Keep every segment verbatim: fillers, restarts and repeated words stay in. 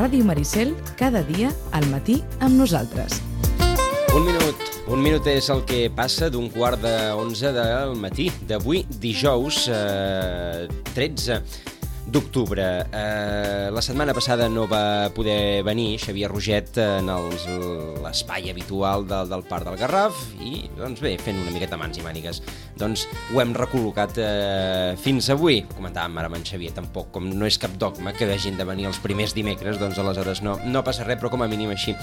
Ràdio Maricel, cada dia al matí amb nosaltres. Un minut, un minut és el que passa d'un quart d'onze del matí d'avui, dijous eh, tretze d'octubre. Eh, la setmana passada no va poder venir Xavier Roget en els, l'espai habitual del, del Parc del Garraf i, doncs bé, fent una miqueta mans i mànigues, doncs ho hem recol·locat eh, fins avui. Comentàvem ara amb en Xavier, tampoc, com no és cap dogma que hagin de venir els primers dimecres, doncs aleshores no, no passa res, però com a mínim així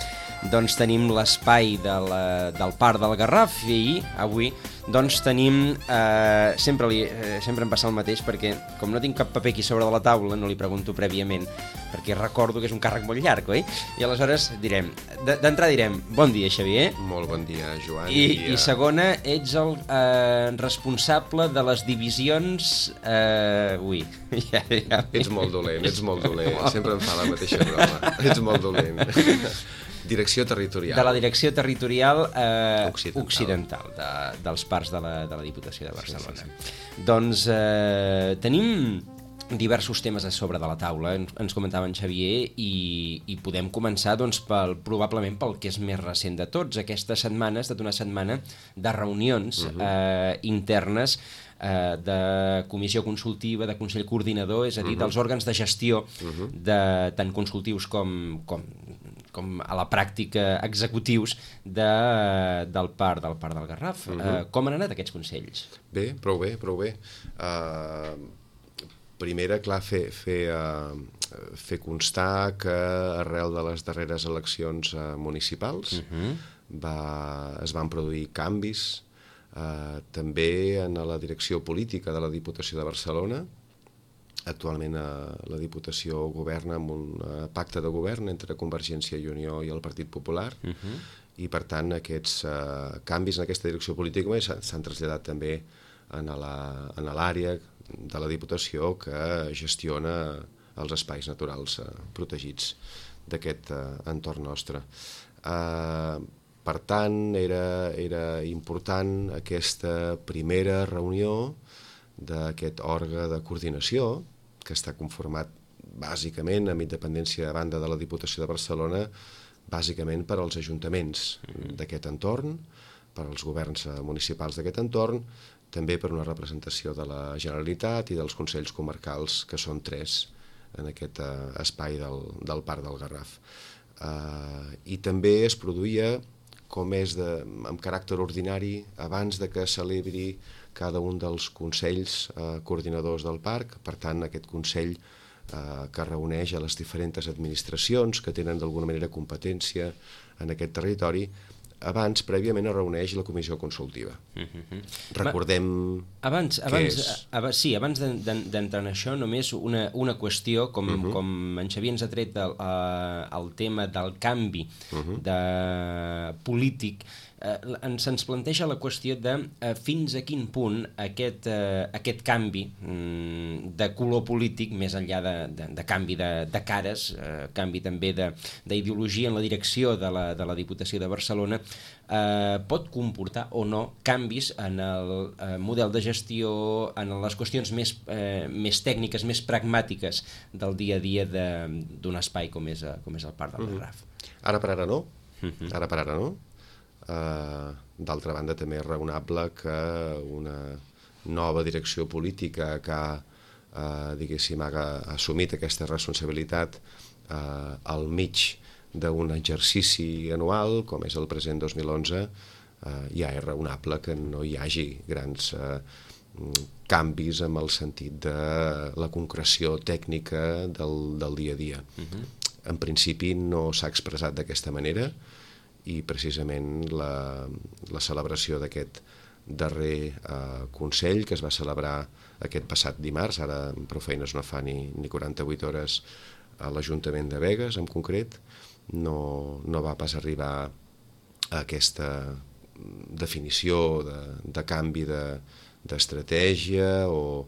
doncs tenim l'espai de la, del Parc del Garraf i avui doncs tenim, eh, sempre, li, eh, sempre em passa el mateix perquè com no tinc cap paper aquí sobre de la taula no li pregunto prèviament perquè recordo que és un càrrec molt llarg, oi? I aleshores direm, d'entrada direm bon dia Xavier. Molt bon dia Joan. I, i, i segona, ets el eh, responsable de les divisions eh, ui, ja, ja. Ets molt dolent, ets molt dolent, sempre em fa la mateixa broma, ets molt dolent. Direcció territorial. De la direcció territorial eh, occidental, occidental de, dels parcs de la, de la Diputació de Barcelona. Sí, sí, sí. Doncs eh, tenim diversos temes a sobre de la taula, ens, ens comentava en Xavier, i, i podem començar doncs, pel, probablement pel que és més recent de tots. Aquesta setmana ha estat una setmana de reunions uh-huh. eh, internes eh, de comissió consultiva, de consell coordinador, és a dir, uh-huh. dels òrgans de gestió, uh-huh. de, tant consultius com, com, com a la pràctica executius de, del parc del Parc del Garraf. Uh-huh. eh, com han anat aquests consells? Bé, prou bé, prou bé. Uh... Primera, clar, fer, fer, uh, fer constar que arrel de les darreres eleccions uh, municipals uh-huh. va, es van produir canvis uh, també en la direcció política de la Diputació de Barcelona. Actualment uh, la Diputació governa amb un uh, pacte de govern entre Convergència i Unió i el Partit Popular uh-huh. i per tant aquests uh, canvis en aquesta direcció política s'han traslladat també en l'àrea de la Diputació que gestiona els espais naturals eh, protegits d'aquest eh, entorn nostre. Eh, per tant, era, era important aquesta primera reunió d'aquest òrgan de coordinació que està conformat bàsicament, amb independència a banda de la Diputació de Barcelona, bàsicament per als ajuntaments d'aquest entorn, per als governs municipals d'aquest entorn, també per una representació de la Generalitat i dels consells comarcals, que són tres en aquest uh, espai del, del Parc del Garraf. Uh, I també es produïa, com és de, amb caràcter ordinari, abans de que celebri cada un dels consells uh, coordinadors del parc, per tant, aquest consell uh, que reuneix a les diferents administracions que tenen d'alguna manera competència en aquest territori. Abans, prèviament, es reuneix la comissió consultiva. Uh-huh. Recordem abans, abans, és... abans, sí, abans d'entrar en això, només una, una qüestió, com, uh-huh. com en Xavier ens ha tret el, el tema del canvi uh-huh. de polític, eh, ens, ens planteja la qüestió de eh, fins a quin punt aquest, eh, aquest canvi mm, de color polític, més enllà de, de, de canvi de, de cares, eh, canvi també d'ideologia en la direcció de la, de la Diputació de Barcelona, eh, pot comportar o no canvis en el eh, model de gestió, en les qüestions més, eh, més tècniques, més pragmàtiques del dia a dia d'un espai com és, com és el Parc del Garraf. Uh-huh. Ara per ara no, uh-huh. ara per ara no. Uh, d'altra banda també és raonable que una nova direcció política que ha, uh, diguéssim, ha assumit aquesta responsabilitat uh, al mig d'un exercici anual com és el present dos mil onze, uh, ja és raonable que no hi hagi grans uh, canvis en el sentit de la concreció tècnica del, del dia a dia. Uh-huh. En principi no s'ha expressat d'aquesta manera i precisament la, la celebració d'aquest darrer eh, Consell que es va celebrar aquest passat dimarts, ara prou feines no fa ni, ni quaranta-vuit hores a l'Ajuntament de Begues en concret, no, no va pas arribar a aquesta definició de, de canvi de, d'estratègia o,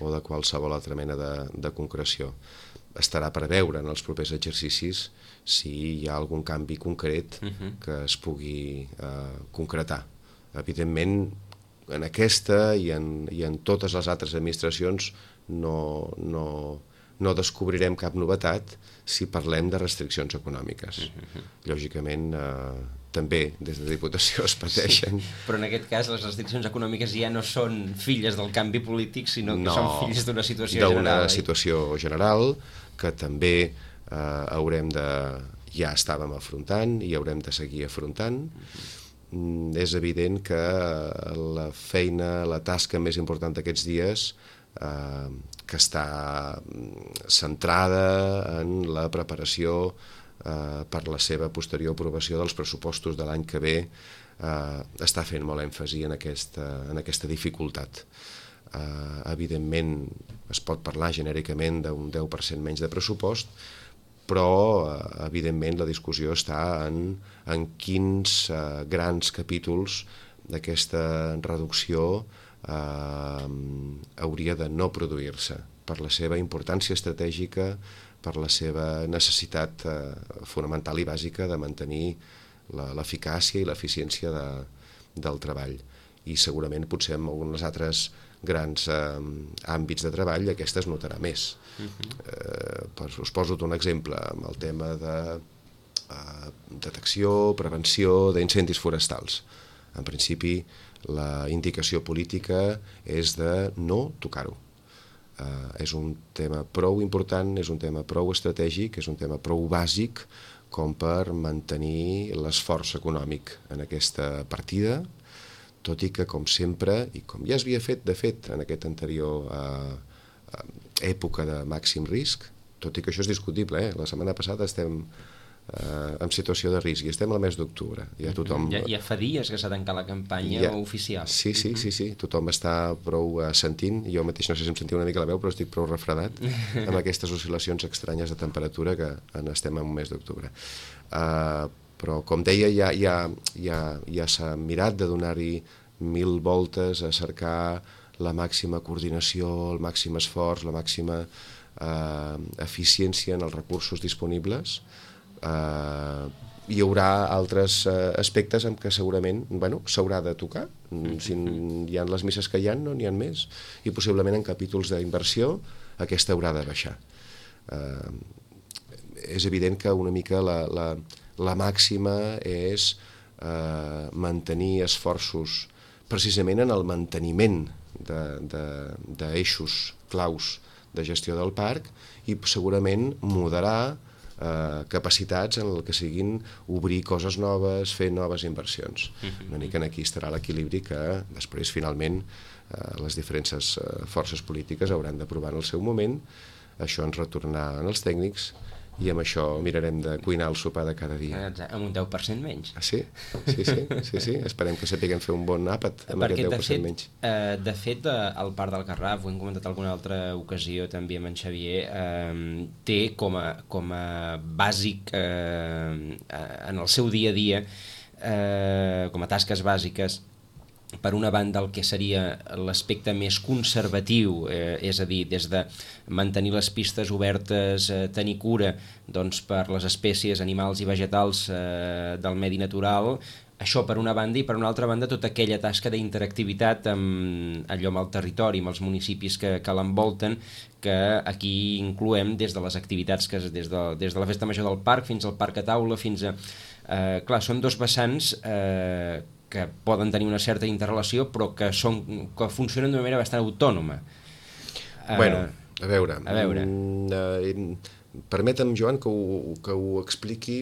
o de qualsevol altra mena de, de concreció. Estarà per veure en els propers exercicis si hi ha algun canvi concret uh-huh. que es pugui eh, concretar. Evidentment, en aquesta i en, i en totes les altres administracions no, no, no descobrirem cap novetat si parlem de restriccions econòmiques. Uh-huh. Lògicament, eh, també des de Diputació es pateixen. Sí, però en aquest cas les restriccions econòmiques ja no són filles del canvi polític, sinó que no, són filles d'una situació general. D'una situació general que també eh, haurem de... ja estàvem afrontant i haurem de seguir afrontant. Uh-huh. És evident que la feina, la tasca més important d'aquests dies eh, que està centrada en la preparació eh, per la seva posterior aprovació dels pressupostos de l'any que ve, eh, està fent molt èmfasi en aquesta, en aquesta dificultat. Eh, evidentment es pot parlar genèricament d'un deu per cent menys de pressupost, però eh, evidentment la discussió està en, en quins eh, grans capítols d'aquesta reducció Uh, hauria de no produir-se per la seva importància estratègica, per la seva necessitat uh, fonamental i bàsica de mantenir l'eficàcia i l'eficiència de, del treball. I segurament potser en alguns altres grans uh, àmbits de treball aquesta es notarà més. Uh-huh. uh, per, us poso un exemple amb el tema de uh, detecció, prevenció d'incendis forestals. En principi, la indicació política és de no tocar-ho. Uh, és un tema prou important, és un tema prou estratègic, és un tema prou bàsic com per mantenir l'esforç econòmic en aquesta partida, tot i que, com sempre, i com ja s'havia fet, de fet, en aquesta anterior uh, uh, època de màxim risc, tot i que això és discutible, eh? La setmana passada estem Uh, en situació de risc, i estem al mes d'octubre. Ja, tothom... ja, ja fa dies que s'ha tancat la campanya ja... oficial. Sí, sí, sí, sí, tothom està prou uh, sentint, jo mateix no sé si em sentia una mica la veu, però estic prou refredat amb aquestes oscil·lacions estranyes de temperatura que en estem en un mes d'octubre. Uh, però, com deia, ja, ja, ja, ja s'ha mirat de donar-hi mil voltes a cercar la màxima coordinació, el màxim esforç, la màxima uh, eficiència en els recursos disponibles. Uh, hi haurà altres uh, aspectes en què segurament bueno, s'haurà de tocar. Si hi ha les misses que hi ha, no n'hi ha més, i possiblement en capítols d'inversió aquesta haurà de baixar. Uh, és evident que una mica la, la, la màxima és uh, mantenir esforços precisament en el manteniment d'eixos claus de gestió del parc i segurament moderar Uh, capacitats en el que siguin obrir coses noves, fer noves inversions. Una mica aquí estarà l'equilibri que després finalment uh, les diferents uh, forces polítiques hauran d'aprovar en el seu moment. Això ens retornarà als tècnics i amb això mirarem de cuinar el sopar de cada dia. Amb un deu per cent menys. Ah, sí? Sí, sí, sí, sí. Esperem que sapiguem fer un bon àpat amb Perquè aquest deu per cent de fet, menys. Eh, de fet, al Parc del Garraf, ho hem comentat alguna altra ocasió també amb en Xavier, eh, té com a, com a bàsic eh, en el seu dia a dia, eh, com a tasques bàsiques, per una banda el que seria l'aspecte més conservatiu, eh, és a dir, des de mantenir les pistes obertes, eh, tenir cura doncs, per les espècies animals i vegetals eh, del medi natural, això per una banda, i per una altra banda tota aquella tasca d'interactivitat amb allò amb el territori, amb els municipis que, que l'envolten, que aquí incloem des de les activitats que des de, des de la festa major del parc fins al parc a taula, fins a... Eh, clar, són dos vessants eh, que poden tenir una certa interrelació, però que, són, que funcionen d'una manera bastant autònoma. Bueno, a veure... A veure. Mm, permetem, Joan, que ho, que ho expliqui.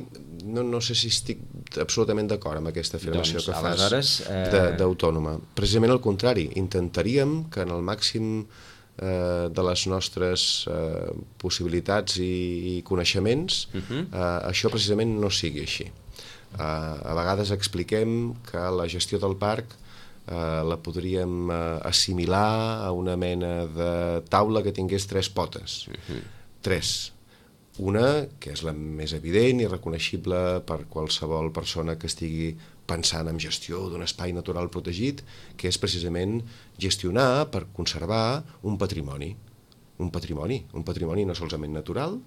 No, no sé si estic absolutament d'acord amb aquesta afirmació doncs, que fas eh... d'autònoma. Precisament al contrari, intentaríem que en el màxim eh, de les nostres eh, possibilitats i, i coneixements uh-huh. eh, això precisament no sigui així. Uh, a vegades expliquem que la gestió del parc uh, la podríem uh, assimilar a una mena de taula que tingués tres potes. Uh-huh. Tres. Una, que és la més evident i reconeixible per qualsevol persona que estigui pensant en gestió d'un espai natural protegit, que és precisament gestionar per conservar un patrimoni. Un patrimoni, un patrimoni no solament natural,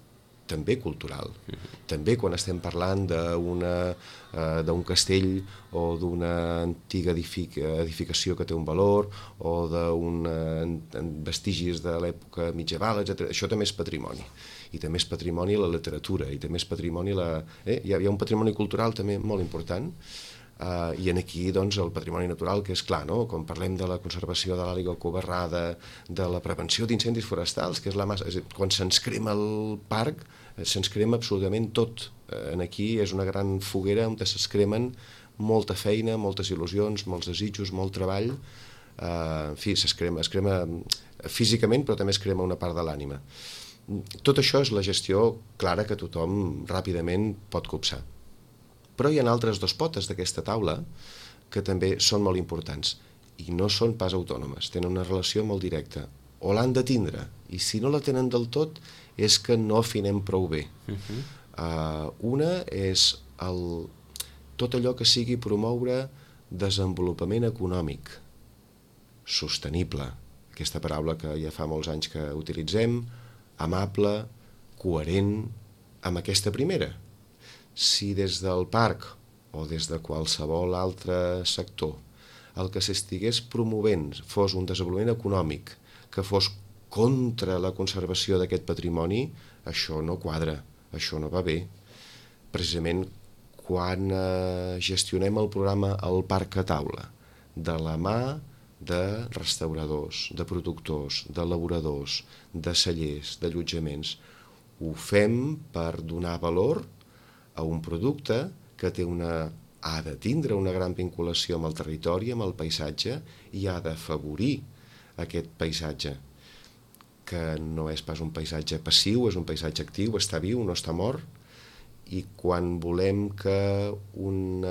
també cultural. També quan estem parlant d'una, eh, d'un castell o d'una antiga edific edificació que té un valor o d'un vestigis de l'època medieval, etcètera. Això també és patrimoni. I també és patrimoni la literatura, i també és patrimoni la... Eh? Hi ha, hi ha un patrimoni cultural també molt important. Uh, i en aquí doncs, el patrimoni natural, que és clar, no? Quan parlem de la conservació de l'àliga covarrada, de la prevenció d'incendis forestals, que és la massa, és dir, quan se'ns crema el parc, se'ns crema absolutament tot. Uh, en aquí és una gran foguera on se'ns cremen molta feina, moltes il·lusions, molts desitjos, molt treball. Uh, en fi, es crema, es crema físicament, però també es crema una part de l'ànima. Tot això és la gestió clara que tothom ràpidament pot copsar. Però hi ha altres dos potes d'aquesta taula que també són molt importants i no són pas autònomes, tenen una relació molt directa. O l'han de tindre, i si no la tenen del tot és que no afinem prou bé. Uh-huh. uh, una és el, tot allò que sigui promoure desenvolupament econòmic sostenible, aquesta paraula que ja fa molts anys que utilitzem, amable, coherent amb aquesta primera. Si des del parc o des de qualsevol altre sector el que s'estigués promovent fos un desenvolupament econòmic que fos contra la conservació d'aquest patrimoni, això no quadra, això no va bé. Precisament quan eh, gestionem el programa El Parc a Taula, de la mà de restauradors, de productors, d'elaboradors, de cellers, d'allotjaments, ho fem per donar valor a un producte que té una, ha de tindre una gran vinculació amb el territori, amb el paisatge, i ha d'afavorir aquest paisatge, que no és pas un paisatge passiu, és un paisatge actiu, està viu, no està mort, i quan volem que un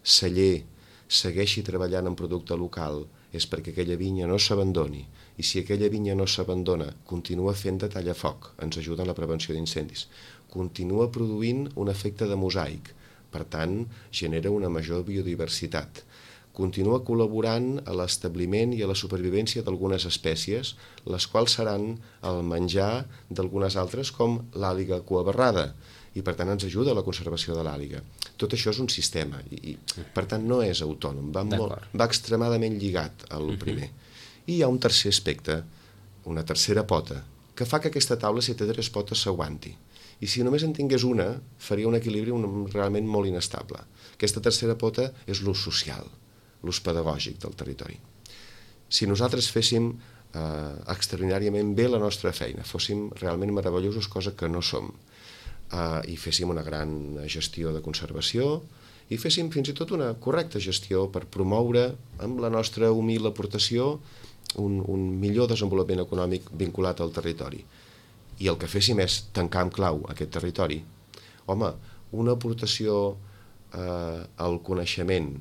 celler segueixi treballant en producte local és perquè aquella vinya no s'abandoni, i si aquella vinya no s'abandona, continua fent de tallafoc, ens ajuda en la prevenció d'incendis, continua produint un efecte de mosaic, per tant, genera una major biodiversitat. Continua col·laborant a l'establiment i a la supervivència d'algunes espècies, les quals seran el menjar d'algunes altres, com l'àliga cuabarrada, i per tant ens ajuda a la conservació de l'àliga. Tot això és un sistema, i, i per tant no és autònom, va, molt, va extremadament lligat al primer. I hi ha un tercer aspecte, una tercera pota, que fa que aquesta taula, si té tres potes, s'aguanti. I si només en tingués una, faria un equilibri un, realment molt inestable. Aquesta tercera pota és l'ús social, l'ús pedagògic del territori. Si nosaltres féssim eh, extraordinàriament bé la nostra feina, fóssim realment meravellosos, cosa que no som, eh, i féssim una gran gestió de conservació, i féssim fins i tot una correcta gestió per promoure, amb la nostra humil aportació, un, un millor desenvolupament econòmic vinculat al territori. I el que féssim és tancar amb clau aquest territori, home, una aportació eh, al coneixement,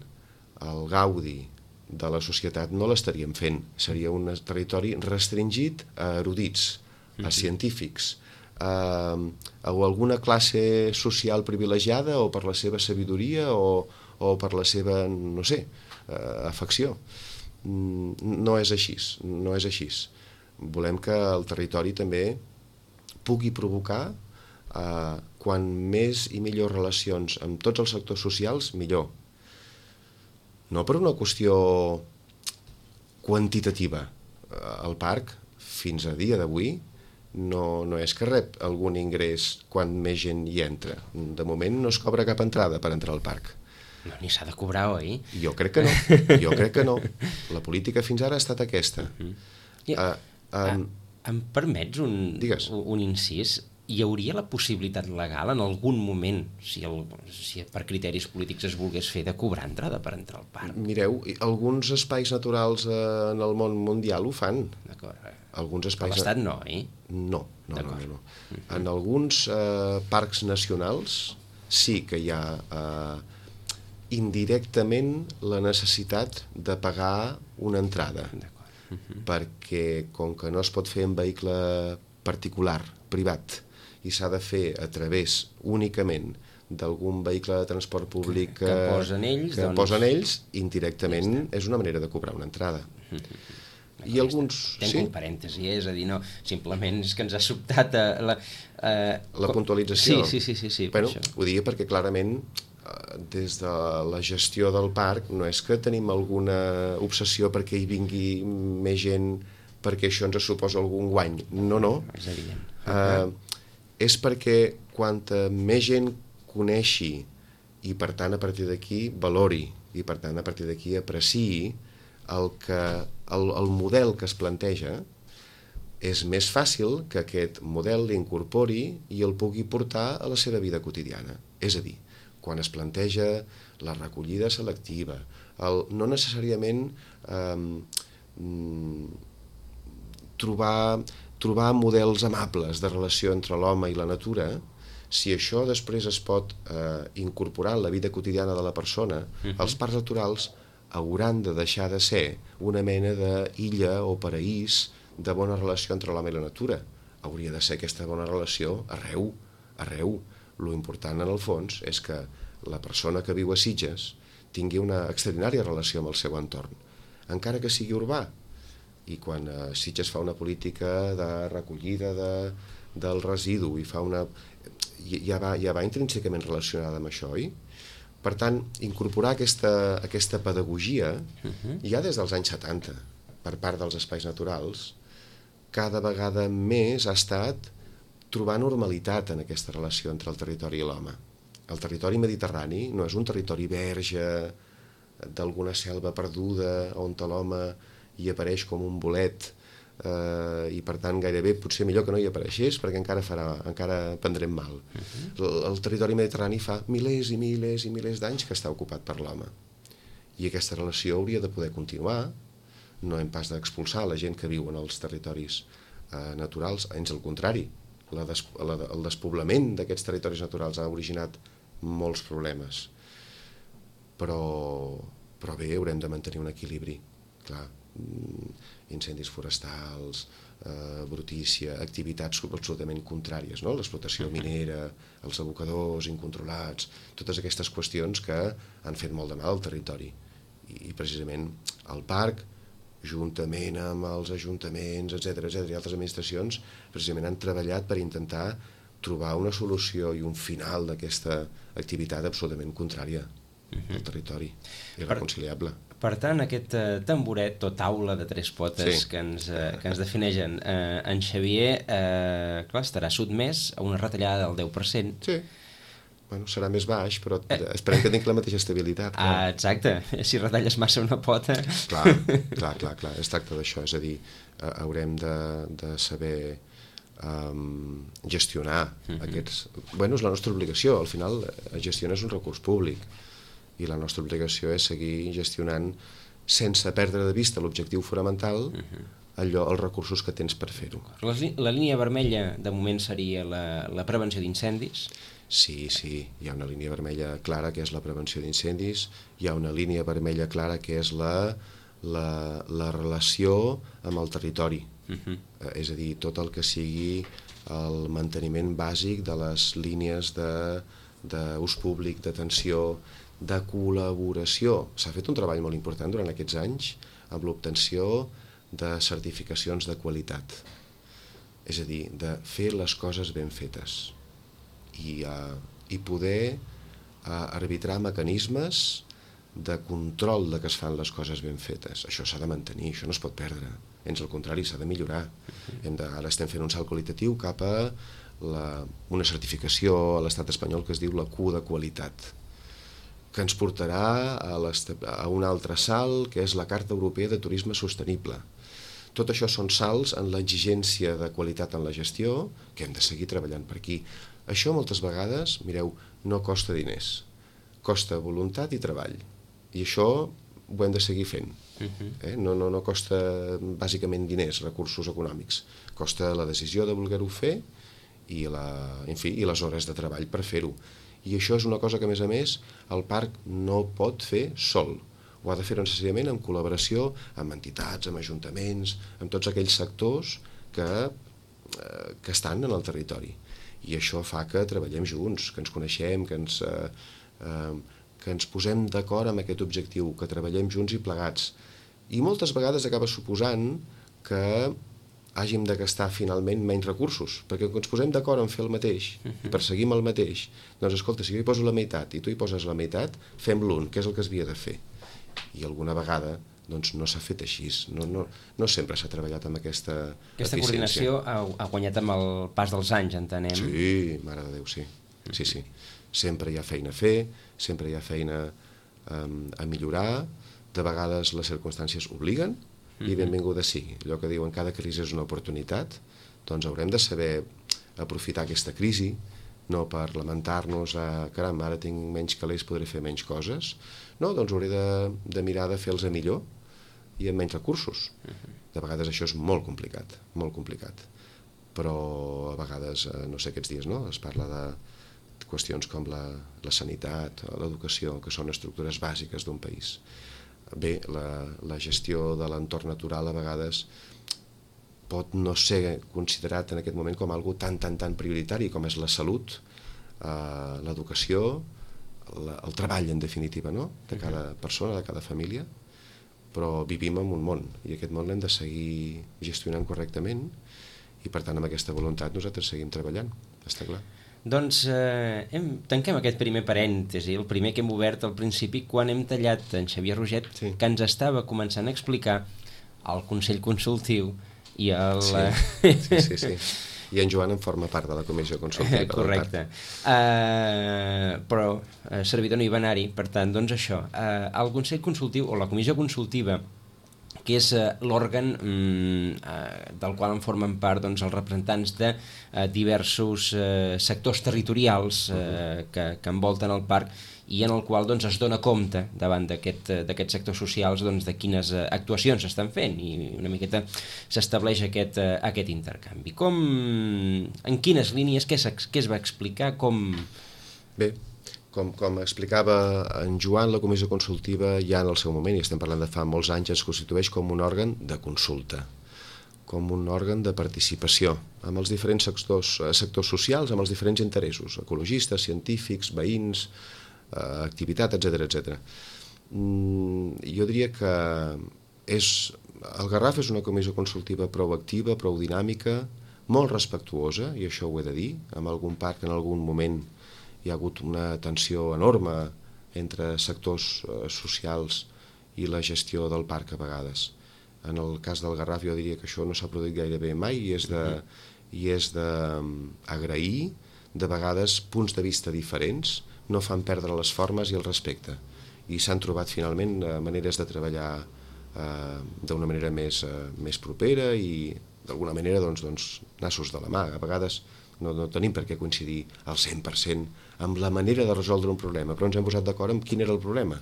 al gaudi de la societat no l'estaríem fent. Seria un territori restringit a erudits, a científics, a, a alguna classe social privilegiada o per la seva sabidoria o, o per la seva, no sé, afecció. No és així, no és així. Volem que el territori també pugui provocar, eh, quan més i millors relacions amb tots els sectors socials, millor. No per una qüestió quantitativa. El parc, fins a dia d'avui, no, no és que rep algun ingrés quan més gent hi entra. De moment no es cobra cap entrada per entrar al parc. No, ni s'ha de cobrar, oi? Jo crec que no, jo crec que no. La política fins ara ha estat aquesta. Uh-huh. Ja, uh, um, em permets un, un incís? Hi hauria la possibilitat legal en algun moment, si, el, si per criteris polítics es volgués fer, de cobrar entrada per entrar al parc? Mireu, alguns espais naturals en el món mundial ho fan. D'acord. Alguns espais... A l'Estat no, eh? No, no, no, no, no. Uh-huh. En alguns eh, parcs nacionals sí que hi ha eh, indirectament la necessitat de pagar una entrada. D'acord. Uh-huh. Perquè com que no es pot fer en vehicle particular, privat, i s'ha de fer a través únicament d'algun vehicle de transport públic que, que posen ells, que doncs... posen ells, indirectament és una manera de cobrar una entrada. I alguns... Tenc un parèntesi, és a dir, no, simplement és que ens ha sobtat la... La puntualització? Sí, sí, sí, sí. Bueno, ho diria perquè clarament des de la gestió del parc no és que tenim alguna obsessió perquè hi vingui més gent perquè això ens suposa algun guany. No, no. És evident. Uh, és perquè quanta més gent coneixi i per tant a partir d'aquí valori i per tant a partir d'aquí apreciï el, que, el, el model que es planteja, és més fàcil que aquest model l'incorpori i el pugui portar a la seva vida quotidiana. És a dir, quan es planteja la recollida selectiva, el, no necessàriament eh, trobar, trobar models amables de relació entre l'home i la natura, si això després es pot eh, incorporar en la vida quotidiana de la persona, uh-huh. els parcs naturals hauran de deixar de ser una mena d'illa o paraís de bona relació entre l'home i la natura. Hauria de ser aquesta bona relació arreu, arreu. Lo important, en el fons, és que la persona que viu a Sitges tingui una extraordinària relació amb el seu entorn, encara que sigui urbà. I quan eh, Sitges fa una política de recollida de, del residu i fa una... ja va, ja va intrínsecament relacionada amb això, oi? Per tant, incorporar aquesta, aquesta pedagogia uh-huh. ja des dels anys setanta, per part dels espais naturals, cada vegada més ha estat trobar normalitat en aquesta relació entre el territori i l'home. El territori mediterrani no és un territori verge d'alguna selva perduda on l'home hi apareix com un bolet eh, i per tant gairebé potser millor que no hi apareixés perquè encara, farà, encara prendrem mal. Uh-huh. el, el territori mediterrani fa milers i milers i milers d'anys que està ocupat per l'home i aquesta relació hauria de poder continuar. No hem pas d'expulsar la gent que viu en els territoris eh, naturals, ans al contrari. La des, la, el despoblament d'aquests territoris naturals ha originat molts problemes. Però, però bé, haurem de mantenir un equilibri. Clar, incendis forestals, eh, brutícia, activitats absolutament contràries, no? L'explotació minera, els abocadors incontrolats, totes aquestes qüestions que han fet molt de mal al territori. I, i precisament el parc, juntament amb els ajuntaments, etcètera, etcètera, i altres administracions, precisament han treballat per intentar trobar una solució i un final d'aquesta activitat absolutament contrària uh-huh. al territori, irreconciliable. Per, per tant, aquest eh, tamboret o taula de tres potes sí. que, ens, eh, que ens defineixen eh, en Xavier, eh, clar, estarà sotmès a una retallada del deu per cent. Sí. Bueno, serà més baix, però eh. esperem que tingui la mateixa estabilitat. Clar. Ah, exacte. Si retalles massa una pota... Clar, clar, clar, clar. Es tracta d'això, és a dir, eh, haurem de, de saber um, gestionar uh-huh. aquests... Bueno, és la nostra obligació, al final gestionar és un recurs públic i la nostra obligació és seguir gestionant sense perdre de vista l'objectiu fonamental uh-huh. allò, els recursos que tens per fer-ho. La, la línia vermella, de moment, seria la, la prevenció d'incendis? Sí, sí, hi ha una línia vermella clara que és la prevenció d'incendis, hi ha una línia vermella clara que és la, la, la relació amb el territori, uh-huh. eh, és a dir, tot el que sigui el manteniment bàsic de les línies d'ús públic, d'atenció, de col·laboració. S'ha fet un treball molt important durant aquests anys amb l'obtenció de certificacions de qualitat, és a dir, de fer les coses ben fetes. I, uh, i poder uh, arbitrar mecanismes de control de que es fan les coses ben fetes. Això s'ha de mantenir, això no es pot perdre. Ens al contrari, s'ha de millorar. Hem de, ara estem fent un salt qualitatiu cap a la, una certificació a l'estat espanyol que es diu la Q de qualitat, que ens portarà a, a un altre salt, que és la Carta Europea de Turisme Sostenible. Tot això són salts en l'exigència de qualitat en la gestió que hem de seguir treballant per aquí. Això moltes vegades, mireu, no costa diners, costa voluntat i treball. I això ho hem de seguir fent. Uh-huh. eh? no, no, no costa bàsicament diners, recursos econòmics. Costa la decisió de voler-ho fer i, la, en fi, i les hores de treball per fer-ho. I això és una cosa que, a més a més, el parc no pot fer sol. Ho ha de fer necessàriament en col·laboració amb entitats, amb ajuntaments, amb tots aquells sectors que, eh, que estan en el territori. I això fa que treballem junts, que ens coneixem, que ens, eh, eh, que ens posem d'acord amb aquest objectiu, que treballem junts i plegats. I moltes vegades acaba suposant que hàgim de gastar finalment menys recursos, perquè quan ens posem d'acord en fer el mateix i perseguim el mateix, doncs escolta, si jo hi poso la meitat i tu hi poses la meitat, fem l'un, que és el que es havia de fer. I alguna vegada doncs no s'ha fet així, no, no, no sempre s'ha treballat amb aquesta Aquesta eficiència. coordinació ha, ha guanyat amb el pas dels anys, entenem. Sí, mare de Déu, sí. Sí, sí. Sempre hi ha feina a fer, sempre hi ha feina um, a millorar, de vegades les circumstàncies obliguen, i benvinguda sigui. Allò que diuen cada crisi és una oportunitat, doncs haurem de saber aprofitar aquesta crisi, no per lamentar-nos a caram, ara tinc menys calés, podré fer menys coses, no, doncs hauré de, de mirar de fer-los a millor i amb menys recursos. De vegades això és molt complicat, molt complicat. Però a vegades, no sé, aquests dies, no?, es parla de qüestions com la, la sanitat, l'educació, que són estructures bàsiques d'un país. Bé, la, la gestió de l'entorn natural a vegades pot no ser considerat en aquest moment com algo tan, tan, tan prioritari com és la salut, eh, l'educació, la, el treball, en definitiva, no?, de cada persona, de cada família, però vivim en un món, i aquest món l'hem de seguir gestionant correctament, i per tant amb aquesta voluntat nosaltres seguim treballant, està clar. Doncs eh, hem, tanquem aquest primer parèntesi, el primer que hem obert al principi, quan hem tallat en Xavier Roget, sí, que ens estava començant a explicar el Consell Consultiu i el... Sí, sí, sí, sí. I en Joan en forma part de la comissió consultiva. Correcte. Uh, però uh, servidor no hi va anar-hi, per tant, doncs això, uh, el Consell Consultiu o la comissió consultiva, que és eh, l'òrgan mm, eh, del qual en formen part doncs, els representants de eh, diversos eh, sectors territorials eh, que, que envolten el parc i en el qual doncs, es dona compte davant d'aquests aquest sectors socials doncs, de quines eh, actuacions s'estan fent i una miqueta s'estableix aquest, eh, aquest intercanvi. Com, en quines línies, què, què es va explicar? Com... Bé, Com, com explicava en Joan, la comissió consultiva ja en el seu moment, i estem parlant de fa molts anys, es constitueix com un òrgan de consulta, com un òrgan de participació amb els diferents sectors, sectors socials, amb els diferents interessos, ecologistes, científics, veïns, eh, activitat, etcètera, etcètera. Mm, jo diria que és, el Garraf és una comissió consultiva prou activa, prou dinàmica, molt respectuosa, i això ho he de dir, amb algun parc en algun moment hi ha hagut una tensió enorme entre sectors eh, socials i la gestió del parc a vegades. En el cas del Garraf jo diria que això no s'ha produït gairebé mai i és de, i és de um, agrair, de vegades punts de vista diferents no fan perdre les formes i el respecte, i s'han trobat finalment eh, maneres de treballar eh, d'una manera més, eh, més propera i d'alguna manera doncs, doncs, nassos de la mà. A vegades no, no tenim per què coincidir al cent per cent amb la manera de resoldre un problema, però ens hem posat d'acord amb quin era el problema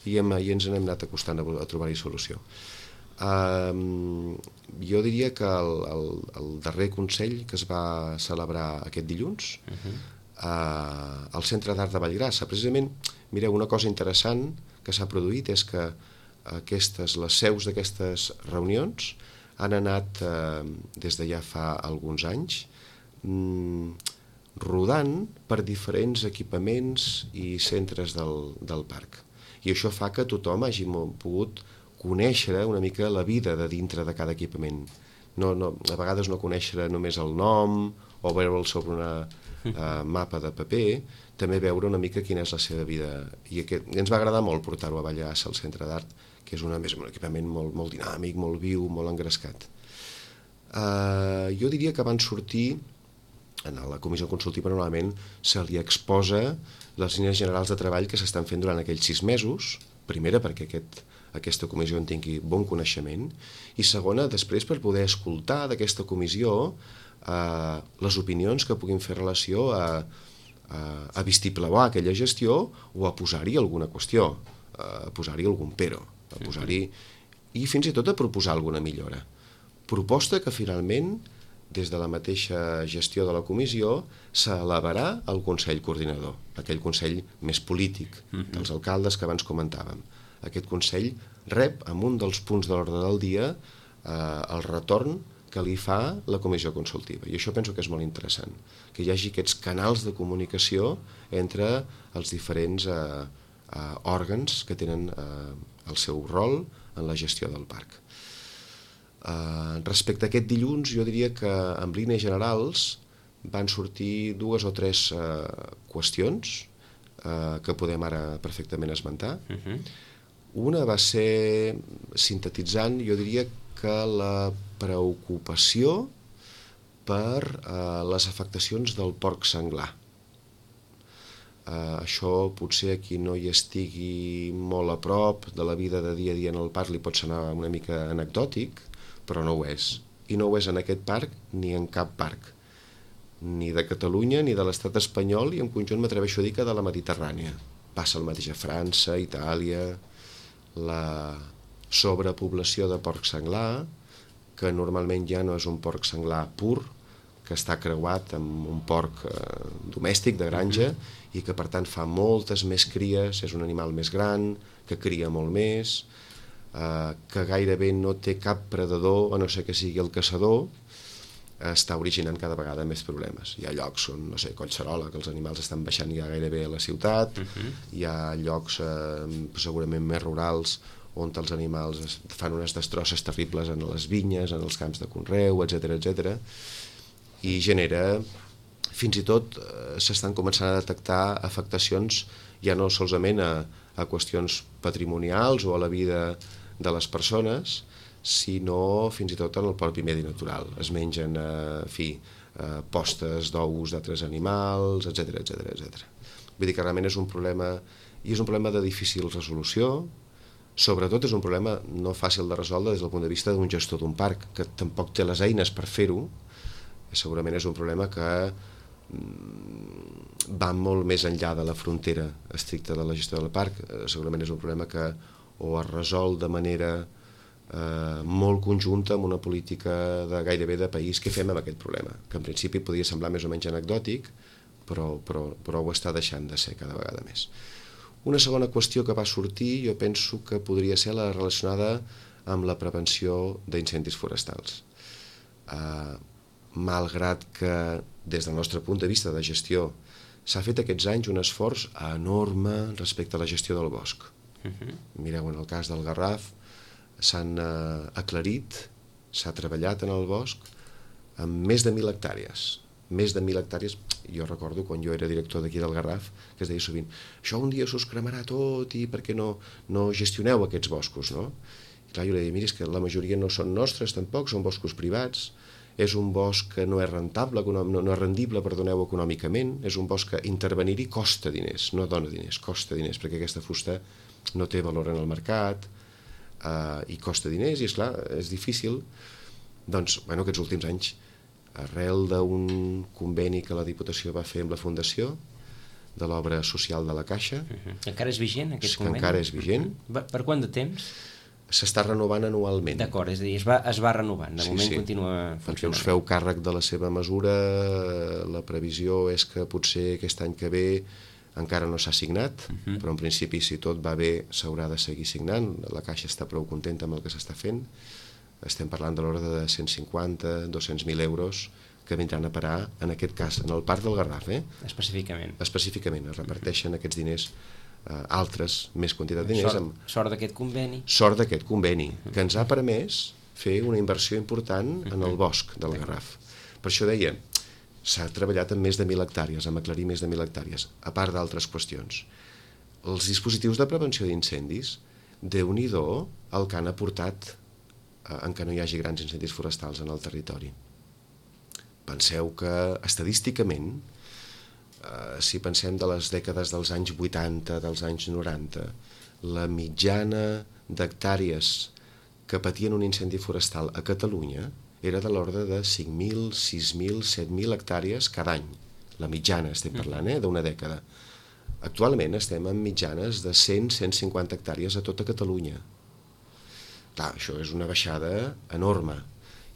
i, hem, i ens n'hem anat acostant a, a trobar-hi solució. Um, jo diria que el, el, el darrer Consell que es va celebrar aquest dilluns uh-huh. uh, al Centre d'Art de Vallgrassa, precisament, mireu, una cosa interessant que s'ha produït és que aquestes, les seus d'aquestes reunions han anat eh, des de ja fa alguns anys mm, rodant per diferents equipaments i centres del, del parc, i això fa que tothom hagi pogut conèixer una mica la vida de dintre de cada equipament. No, no, a vegades no conèixer només el nom o veure'l sobre una uh, mapa de paper, també veure una mica quina és la seva vida. I aquest, ens va agradar molt portar-ho a Vallgrassa, al Centre d'Art, que és una, més, un equipament molt, molt dinàmic, molt viu, molt engrescat. Uh, jo diria que van sortir, en la comissió consultiva normalment se li exposa les línies generals de treball que s'estan fent durant aquells sis mesos, primera perquè aquest, aquesta comissió en tingui bon coneixement, i segona, després per poder escoltar d'aquesta comissió eh, les opinions que puguin fer relació a, a, a vistipleuar aquella gestió o a posar-hi alguna qüestió, a posar-hi algun pero, a posar-hi, i fins i tot a proposar alguna millora. Proposta que finalment, des de la mateixa gestió de la comissió, s'elevarà al Consell Coordinador, aquell Consell més polític, dels alcaldes que abans comentàvem. Aquest Consell rep, amb un dels punts de l'ordre del dia, eh, el retorn que li fa la comissió consultiva. I això penso que és molt interessant, que hi hagi aquests canals de comunicació entre els diferents eh, eh, òrgans que tenen eh, el seu rol en la gestió del parc. Uh, respecte a aquest dilluns, jo diria que en línies generals van sortir dues o tres uh, qüestions uh, que podem ara perfectament esmentar. Uh-huh. Una va ser, sintetitzant, jo diria que la preocupació per uh, les afectacions del porc senglar. Uh, això potser a qui no hi estigui molt a prop de la vida de dia a dia en el parc li pot sonar una mica anecdòtic, però no ho és. I no ho és en aquest parc ni en cap parc, ni de Catalunya ni de l'estat espanyol, i en conjunt m'atreveixo a dir que de la Mediterrània. Passa el mateix a França, Itàlia, la sobrepoblació de porc senglar, que normalment ja no és un porc senglar pur, que està creuat amb un porc eh, domèstic de granja, i que per tant fa moltes més cries, és un animal més gran, que cria molt més, eh, que gairebé no té cap predador, a no ser que sigui el caçador, està originant cada vegada més problemes. Hi ha llocs on, no sé, Collserola, que els animals estan baixant ja gairebé a la ciutat, uh-huh. Hi ha llocs eh, segurament més rurals on els animals fan unes destrosses terribles en les vinyes, en els camps de conreu, etcètera, etcètera, i genera, fins i tot eh, s'estan començant a detectar afectacions ja no solament a, a qüestions patrimonials o a la vida de les persones, sinó fins i tot en el propi medi natural. Es mengen, eh, en fi, eh, postes d'ous d'altres animals, etcètera, etcètera, etcètera. Vull dir que realment és un problema, i és un problema de difícil resolució, sobretot és un problema no fàcil de resoldre des del punt de vista d'un gestor d'un parc, que tampoc té les eines per fer-ho. Segurament és un problema que va molt més enllà de la frontera estricta de la gestió del parc. Segurament és un problema que o es resol de manera eh, molt conjunta amb una política de gairebé de país. Què fem amb aquest problema? Que en principi podria semblar més o menys anecdòtic, però, però, però ho està deixant de ser cada vegada més. Una segona qüestió que va sortir, jo penso que podria ser la relacionada amb la prevenció d'incendis forestals. Eh, malgrat que des del nostre punt de vista de gestió s'ha fet aquests anys un esforç enorme respecte a la gestió del bosc. Uh-huh. Mireu, en el cas del Garraf s'han eh, aclarit, s'ha treballat en el bosc amb més de mil hectàrees. Més de mil hectàrees, jo recordo quan jo era director d'aquí del Garraf, que es deia sovint, això un dia s'us cremarà tot i per què no, no gestioneu aquests boscos, no? I clar, jo li deia, mira, és que la majoria no són nostres tampoc, són boscos privats, és un bosc que no és rentable, no, no és rendible, perdoneu, econòmicament, és un bosc que intervenir-hi costa diners, no dona diners, costa diners, perquè aquesta fusta no té valor en el mercat eh, i costa diners, i esclar, és difícil. Doncs, bueno, aquests últims anys, arrel d'un conveni que la Diputació va fer amb la Fundació de l'obra social de la Caixa. Uh-huh. Encara és vigent aquest que conveni? Encara és vigent. Uh-huh. Per quant de temps? S'està renovant anualment. D'acord, és a dir, es va, es va renovant, de sí, moment sí. Continua funcionant. Us feu càrrec de la seva mesura, la previsió és que potser aquest any que ve encara no s'ha signat, uh-huh. Però en principi si tot va bé s'haurà de seguir signant, la Caixa està prou contenta amb el que s'està fent, estem parlant de l'ordre de cent cinquanta a dos-cents mil euros que vindran a parar, en aquest cas, en el Parc del Garraf. Eh? Específicament. Específicament, es reparteixen uh-huh. aquests diners Uh, altres, més quantitat de diners. Sort, amb... sort d'aquest conveni. Sort d'aquest conveni, que ens ha permès fer una inversió important en el bosc del Garraf. Per això deia, s'ha treballat amb més de mil hectàrees, amb aclarir més de mil hectàrees, a part d'altres qüestions. Els dispositius de prevenció d'incendis, Déu-n'hi-do el que han aportat uh, en què no hi hagi grans incendis forestals en el territori. Penseu que, estadísticament, Uh, si pensem de les dècades dels anys vuitanta, dels anys noranta, la mitjana d'hectàrees que patien un incendi forestal a Catalunya era de l'ordre de cinc mil, sis mil, set mil hectàrees cada any. La mitjana estem parlant, eh, d'una dècada. Actualment estem en mitjanes de cent a cent cinquanta hectàrees a tota Catalunya. Clar, això és una baixada enorme.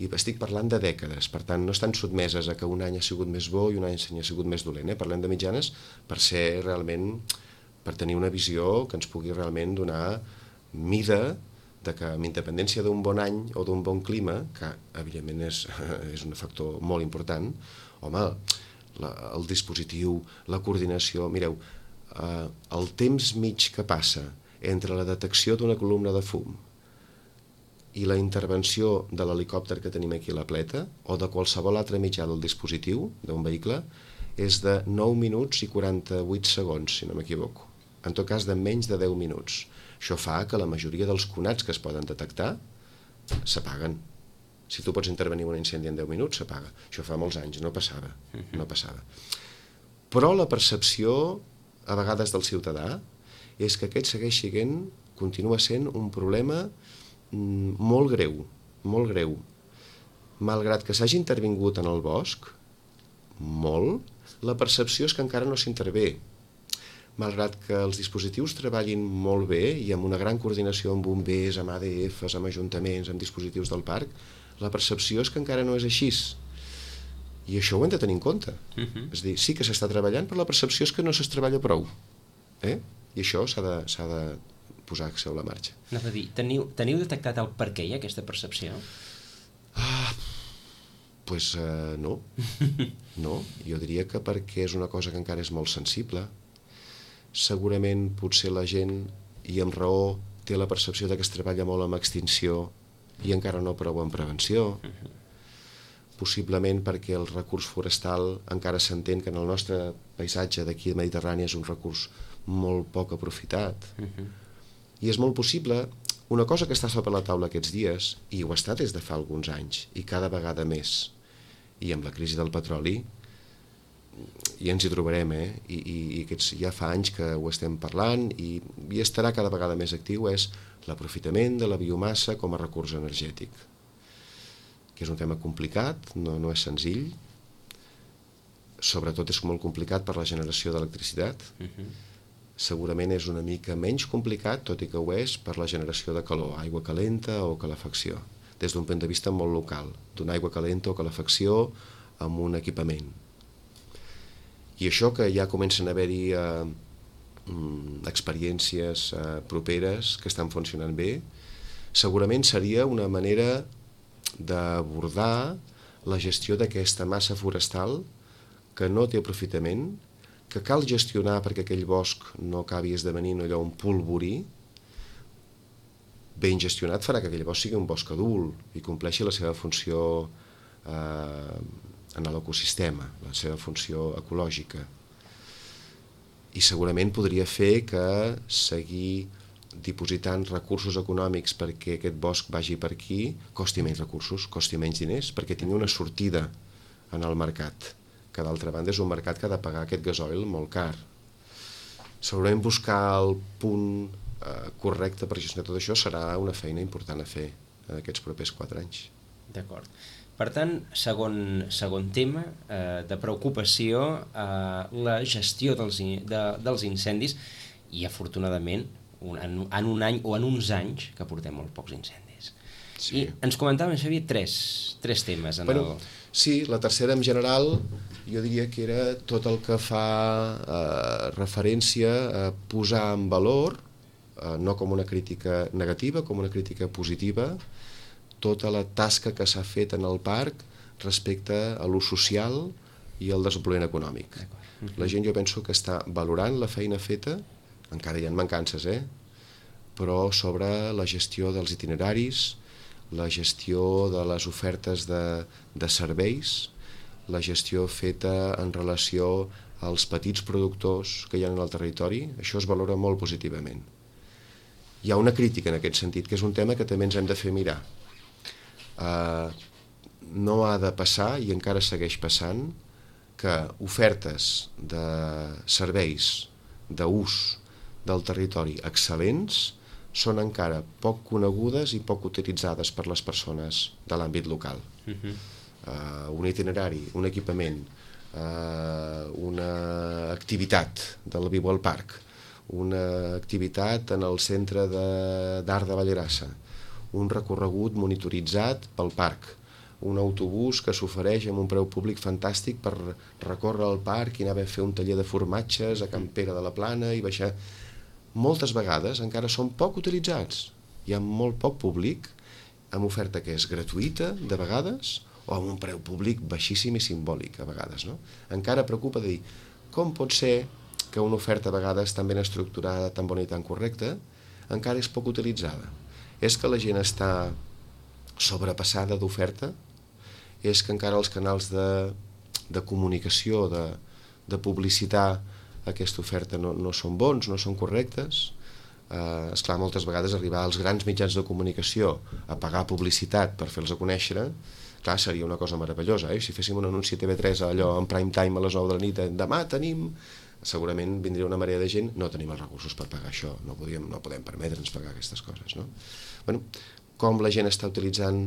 I estic parlant de dècades, per tant no estan sotmeses a que un any ha sigut més bo i un any ha sigut més dolent, eh? Parlem de mitjanes per ser realment, per tenir una visió que ens pugui realment donar mida de que amb independència d'un bon any o d'un bon clima, que evidentment és, és un factor molt important, home, la, el dispositiu, la coordinació, mireu, eh, el temps mig que passa entre la detecció d'una columna de fum, i la intervenció de l'helicòpter que tenim aquí a la Pleta o de qualsevol altre mitjà del dispositiu d'un vehicle és de nou minuts i quaranta-vuit segons, si no m'equivoco. En tot cas, de menys de deu minuts. Això fa que la majoria dels conats que es poden detectar s'apaguen. Si tu pots intervenir en un incendi en deu minuts, s'apaga. Això fa molts anys, no passava. No passava. Però la percepció, a vegades del ciutadà, és que aquest segueix sent, continua sent un problema molt greu, molt greu. Malgrat que s'hagi intervingut en el bosc, molt, la percepció és que encara no s'intervé. Malgrat que els dispositius treballin molt bé i amb una gran coordinació amb bombers, amb A D Fs, amb ajuntaments, amb dispositius del parc, la percepció és que encara no és així. I això ho hem de tenir en compte. Uh-huh. És a dir, sí que s'està treballant, però la percepció és que no s'es treballa prou. Eh? I això s'ha de, s'ha de posar sobre la marxa. Anava a dir, teniu, teniu detectat el per què hi ha aquesta percepció? Ah, doncs uh, no. No, jo diria que perquè és una cosa que encara és molt sensible. Segurament potser la gent, i amb raó, té la percepció de que es treballa molt amb extinció i encara no prou en prevenció. Uh-huh. Possiblement perquè el recurs forestal encara s'entén que en el nostre paisatge d'aquí de Mediterrània és un recurs molt poc aprofitat. Uh-huh. I és molt possible, una cosa que està sobre la taula aquests dies, i ho ha estat des de fa alguns anys, i cada vegada més, i amb la crisi del petroli, i ens hi trobarem, eh? I, i, i aquests, ja fa anys que ho estem parlant i, i estarà cada vegada més actiu, és l'aprofitament de la biomassa com a recurs energètic, que és un tema complicat, no, no és senzill, sobretot és molt complicat per la generació d'electricitat. Uh-huh. Segurament és una mica menys complicat, tot i que ho és, per la generació de calor, aigua calenta o calefacció, des d'un punt de vista molt local, d'una aigua calenta o calefacció amb un equipament. I això que ja comencen a haver-hi eh, experiències eh, properes que estan funcionant bé, segurament seria una manera d'abordar la gestió d'aquesta massa forestal que no té aprofitament, que cal gestionar perquè aquell bosc no acabi esdevenint allò un polvorí. Ben gestionat farà que aquell bosc sigui un bosc adult i compleixi la seva funció eh, en l'ecosistema, la seva funció ecològica. I segurament podria fer que seguir dipositant recursos econòmics perquè aquest bosc vagi per aquí costi menys recursos, costi menys diners, perquè tingui una sortida en el mercat, que d'altra banda és un mercat que ha de pagar aquest gasoil molt car. Segurament buscar el punt eh, correcte per gestionar tot això serà una feina important a fer en aquests propers quatre anys. D'acord. Per tant, segon, segon tema eh, de preocupació, eh, la gestió dels, de, dels incendis i, afortunadament, un, en, en un any o en uns anys que portem molt pocs incendis. Sí. I ens comentaven, Xavier, tres, tres temes. En bueno, el... Sí, la tercera en general jo diria que era tot el que fa eh, referència a posar en valor, eh, no com una crítica negativa, com una crítica positiva, tota la tasca que s'ha fet en el parc respecte a l'ús social i al desenvolupament econòmic. Uh-huh. La gent jo penso que està valorant la feina feta, encara hi ha mancances, eh? Però sobre la gestió dels itineraris, la gestió de les ofertes de, de serveis, la gestió feta en relació als petits productors que hi ha en el territori, això es valora molt positivament. Hi ha una crítica en aquest sentit, que és un tema que també ens hem de fer mirar. Uh, no ha de passar, i encara segueix passant, que ofertes de serveis d'ús del territori excel·lents són encara poc conegudes i poc utilitzades per les persones de l'àmbit local. Uh-huh. Uh, un itinerari, un equipament, uh, una activitat del Viu al Parc, una activitat en el centre d'art de, de Vallerassa, un recorregut monitoritzat pel parc, un autobús que s'ofereix amb un preu públic fantàstic per recórrer el parc i anar a fer un taller de formatges a Can Pere de la Plana i baixar. Moltes vegades encara són poc utilitzats. Hi ha molt poc públic, amb oferta que és gratuïta, de vegades, o amb un preu públic baixíssim i simbòlic, a vegades. No? Encara preocupa de dir, com pot ser que una oferta a vegades tan ben estructurada, tan bona i tan correcta, encara és poc utilitzada? És que la gent està sobrepassada d'oferta és que encara els canals de, de comunicació, de, de publicitar aquesta oferta no, no són bons, no són correctes. Eh, esclar, moltes vegades arribar als grans mitjans de comunicació a pagar publicitat per fer-los a conèixer, clar, seria una cosa meravellosa, eh? Si féssim un anunci a T V tres allò en prime time a les nou de la nit, demà tenim, segurament vindria una marea de gent, no tenim els recursos per pagar això, no podíem, no podem permetre'ns pagar aquestes coses, no? Bueno, com la gent està utilitzant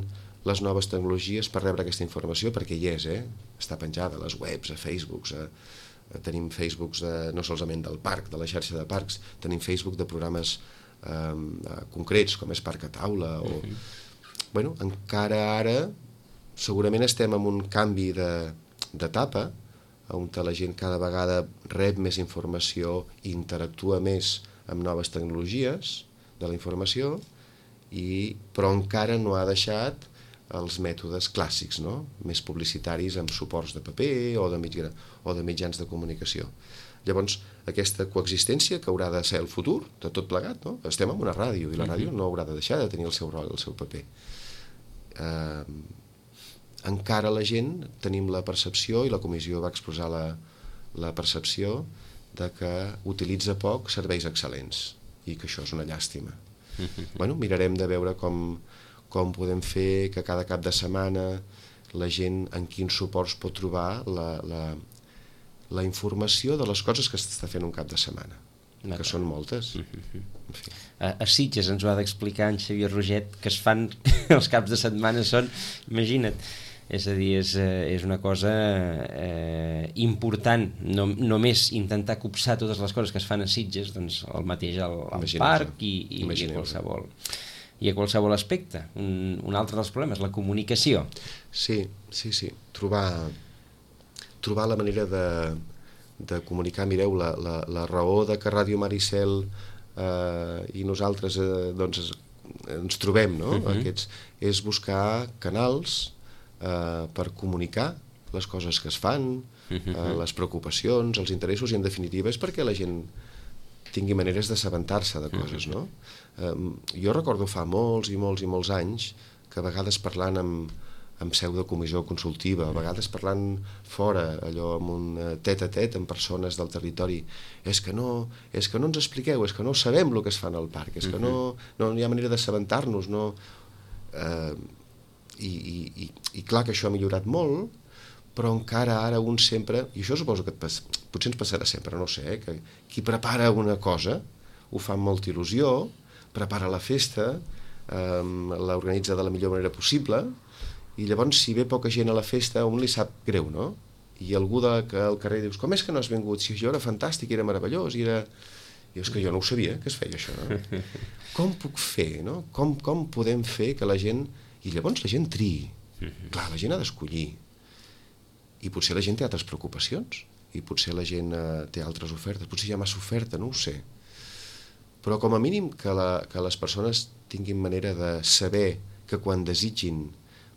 les noves tecnologies per rebre aquesta informació, perquè hi és, eh? Està penjada a les webs, a Facebooks, a, a, tenim Facebooks de, no solament del parc, de la xarxa de parcs, tenim Facebook de programes eh, concrets, com és Parc a Taula, o... Uh-huh. Bueno, encara ara segurament estem en un canvi d'etapa, on la gent cada vegada rep més informació i interactua més amb noves tecnologies de la informació, i, però encara no ha deixat els mètodes clàssics, no? Més publicitaris amb suports de paper o de, mitja, o de mitjans de comunicació. Llavors, aquesta coexistència que haurà de ser el futur de tot plegat, no? Estem en una ràdio i la ràdio no haurà de deixar de tenir el seu rol, el seu paper. Eh, encara la gent tenim la percepció, i la comissió va expressar la, la percepció de que utilitza poc serveis excel·lents i que això és una llàstima. Bueno, mirarem de veure com, com podem fer que cada cap de setmana la gent en quins suports pot trobar la, la, la informació de les coses que s'està fent un cap de setmana, que són moltes. En fi. A, a Sitges ens ho ha d'explicar en Xavier Roget, que es fan els caps de setmana són, imagina't, és a dir, és, és una cosa eh, important, no, només intentar copsar totes les coses que es fan a Sitges, doncs el mateix al, al parc i, i, i, a qualsevol, i a qualsevol aspecte. Un, un altre dels problemes, la comunicació. Sí, sí, sí, trobar, trobar la manera de, de comunicar. Mireu, la, la, la raó de que Ràdio Maricel eh, i nosaltres eh, doncs, ens trobem, no? Uh-huh. Aquests, és buscar canals Uh, per comunicar les coses que es fan, uh, les preocupacions, els interessos, i en definitiva és perquè la gent tingui maneres d'assabentar-se de coses, no? Uh, jo recordo fa molts i molts i molts anys que a vegades parlant amb, amb seu de comissió consultiva, a vegades parlant fora, allò amb un tet a tet amb persones del territori, és que no, és que no ens expliqueu, és que no sabem el que es fa al parc, és que no, no hi ha manera d'assabentar-nos, no... Uh, I, i, i clar que això ha millorat molt, però encara ara un sempre, i això suposo que et pas, potser ens passarà sempre, no ho sé, eh, que qui prepara una cosa ho fa amb molta il·lusió, prepara la festa, eh, l'organitza de la millor manera possible, i llavors si ve poca gent a la festa a un li sap greu, no? I algú de, que al carrer dius, com és que no has vingut? Si això era fantàstic, era meravellós, i era... I és que jo no ho sabia, que es feia això, no? Com puc fer, no? Com, com podem fer que la gent... I llavors la gent triï. Clar, la gent ha d'escollir. I potser la gent té altres preocupacions. I potser la gent eh, té altres ofertes. Potser hi ha massa oferta, no ho sé. Però com a mínim que, la, que les persones tinguin manera de saber que quan desitgin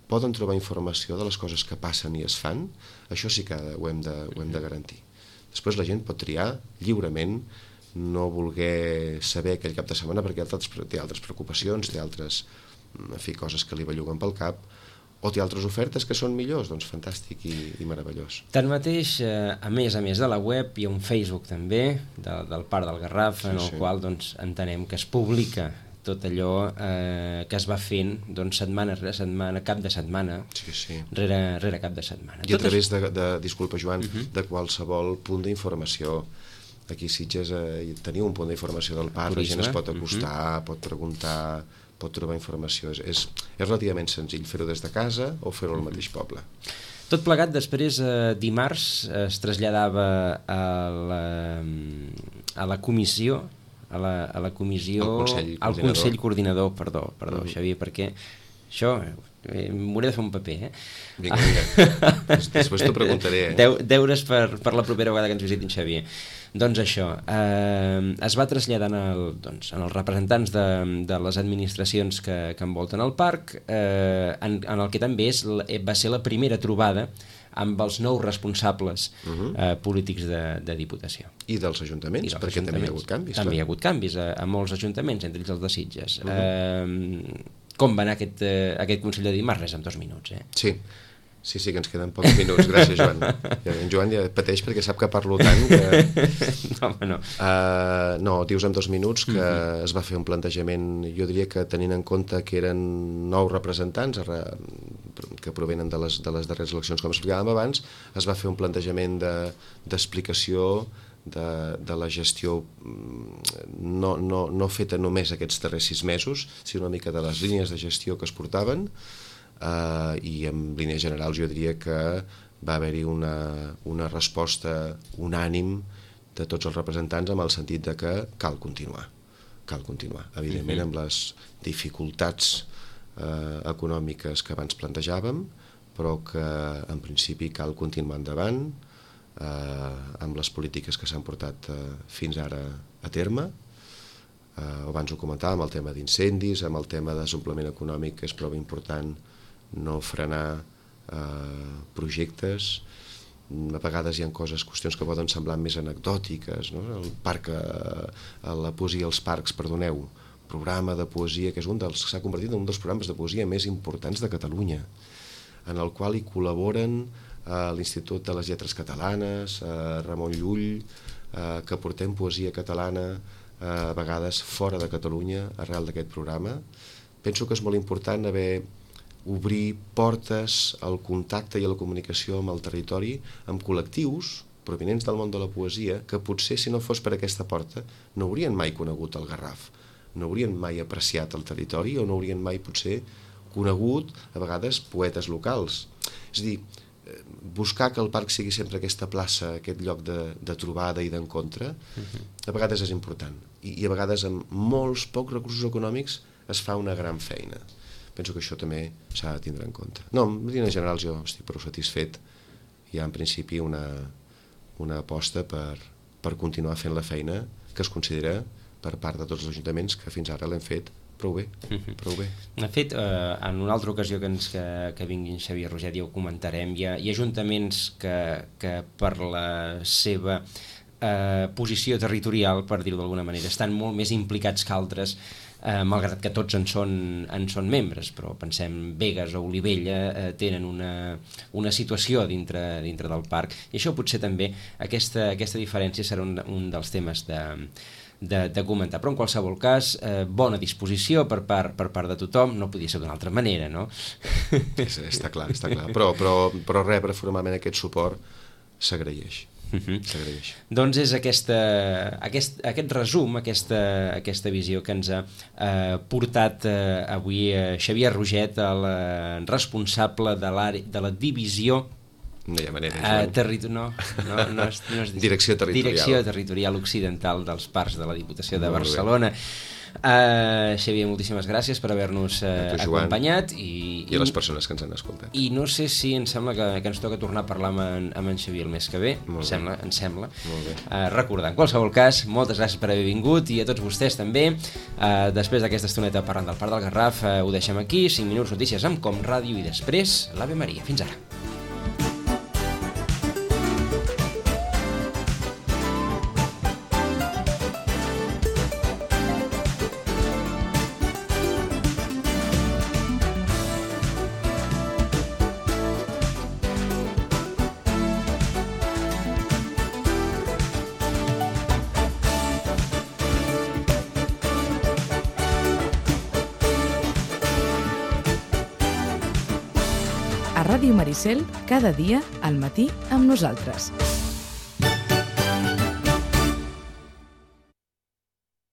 poden trobar informació de les coses que passen i es fan, això sí que ho hem de, ho hem de garantir. Després la gent pot triar lliurement, no voler saber aquell cap de setmana perquè té altres preocupacions, té altres... en fi, coses que li belluguen pel cap, o té altres ofertes que són millors, doncs fantàstic i, i meravellós. Tanmateix, eh, a més a més de la web, hi ha un Facebook també, de, del Parc del Garraf, sí, en el sí. qual doncs, entenem que es publica tot allò eh, que es va fent doncs, setmana rere setmana, cap de setmana, sí, sí. Rere, rere cap de setmana. I a través de, de disculpa Joan, uh-huh. de qualsevol punt d'informació. Aquí a Sitges eh, teniu un punt d'informació del parc, la gent es pot acostar, uh-huh. pot preguntar, pot trobar informació. És, és, és relativament senzill fer-ho des de casa o fer-ho al mateix poble. Tot plegat, després, eh, dimarts, es traslladava a la, a la comissió, a la, a la comissió... Al Consell Coordinador. Al Consell Coordinador, perdó, perdó mm. Xavier, perquè això... Eh, m'hauré de fer un paper, eh? Vinga, vinga. Després t'ho preguntaré, eh? Deu, deures per, per la propera vegada que ens visitin, Xavier. Doncs això, eh, es va traslladar en, el, doncs, en els representants de, de les administracions que, que envolten el parc, eh, en, en el que també és, va ser la primera trobada amb els nous responsables uh-huh. eh, polítics de, de Diputació. I dels ajuntaments, I dels perquè ajuntaments. També hi ha hagut canvis. També clar. hi ha hagut canvis a, a molts ajuntaments, entre ells els de Sitges. Uh-huh. Eh, com va anar aquest, eh, aquest Consell de Dimarts? Res, en dos minuts, eh? Sí, sí, sí, que ens queden pocs minuts. Gràcies, Joan. En Joan ja pateix perquè sap que parlo tant que... No, home, no. Uh, no, dius en dos minuts que uh-huh. es va fer un plantejament, jo diria que tenint en compte que eren nou representants que provenen de les, de les darreres eleccions, com explicàvem abans, es va fer un plantejament de, d'explicació de, de la gestió no, no, no feta només aquests darrers sis mesos, sinó una mica de les línies de gestió que es portaven. Uh, i en línies generals jo diria que va haver-hi una, una resposta unànim de tots els representants amb el sentit de que cal continuar, cal continuar, evidentment amb les dificultats uh, econòmiques que abans plantejàvem, però que en principi cal continuar endavant uh, amb les polítiques que s'han portat uh, fins ara a terme. Uh, abans ho comentàvem, el tema d'incendis, amb el tema de desenvolupament econòmic, que és prou important no frenar eh, projectes. A vegades hi ha coses, qüestions que poden semblar més anecdòtiques, no? El parc, eh, la poesia als parcs, perdoneu, programa de poesia, que és un dels que s'ha convertit en un dels programes de poesia més importants de Catalunya, en el qual hi col·laboren eh, l'Institut de les Lletres Catalanes, eh, Ramon Llull, eh, que portem poesia catalana eh, a vegades fora de Catalunya arrel d'aquest programa. Penso que és molt important haver obrir portes al contacte i a la comunicació amb el territori, amb col·lectius provinents del món de la poesia, que potser si no fos per aquesta porta no haurien mai conegut el Garraf, no haurien mai apreciat el territori o no haurien mai potser conegut a vegades poetes locals. És a dir, buscar que el parc sigui sempre aquesta plaça, aquest lloc de, de trobada i d'encontre, a vegades és important i, i a vegades amb molts pocs recursos econòmics es fa una gran feina. Penso que això també s'ha de tindre en compte. No, en línies generals jo estic prou satisfet. Hi ha en principi una, una aposta per, per continuar fent la feina que es considera per part de tots els ajuntaments que fins ara l'hem fet prou bé, prou bé. De fet, eh, en una altra ocasió que, ens, que, que vingui Xavier Roget ja ho comentarem, hi ha, hi ha ajuntaments que, que per la seva eh, posició territorial, per dir-ho d'alguna manera, estan molt més implicats que altres, Eh, malgrat que tots en són, en són membres, però pensem Begues o Olivella eh, tenen una, una situació dintre, dintre del parc, i això potser també aquesta, aquesta diferència serà un, un dels temes de, de, de comentar, però en qualsevol cas eh, bona disposició per part, per part de tothom, no podia ser d'una altra manera, no? És, està clar, està clar, però, però, però rebre formalment aquest suport s'agraeix. Uh-huh. Doncs és aquesta, aquest, aquest resum, aquesta, aquesta visió que ens ha eh, portat eh, avui eh, Xavier Roget, el eh, responsable de, de la divisió no hi ha manera, eh, territo no, no, no és, no és, direcció territorial direcció territorial occidental dels parcs de la Diputació de Molt Barcelona. Uh, Xavier, moltíssimes gràcies per haver-nos uh, acompanyat i, i a les persones que ens han escoltat. I no sé si em sembla que, que ens toca tornar a parlar amb en, amb en Xavier el mes que ve. Em sembla, em sembla. Uh, recordar, en qualsevol cas, moltes gràcies per haver vingut i a tots vostès també. Uh, després d'aquesta estoneta parlant del Parc del Garraf, uh, ho deixem aquí, cinc minuts notícies amb Com Ràdio i després l'Ave Maria. Fins ara. Ràdio Maricel, cada dia al matí amb nosaltres.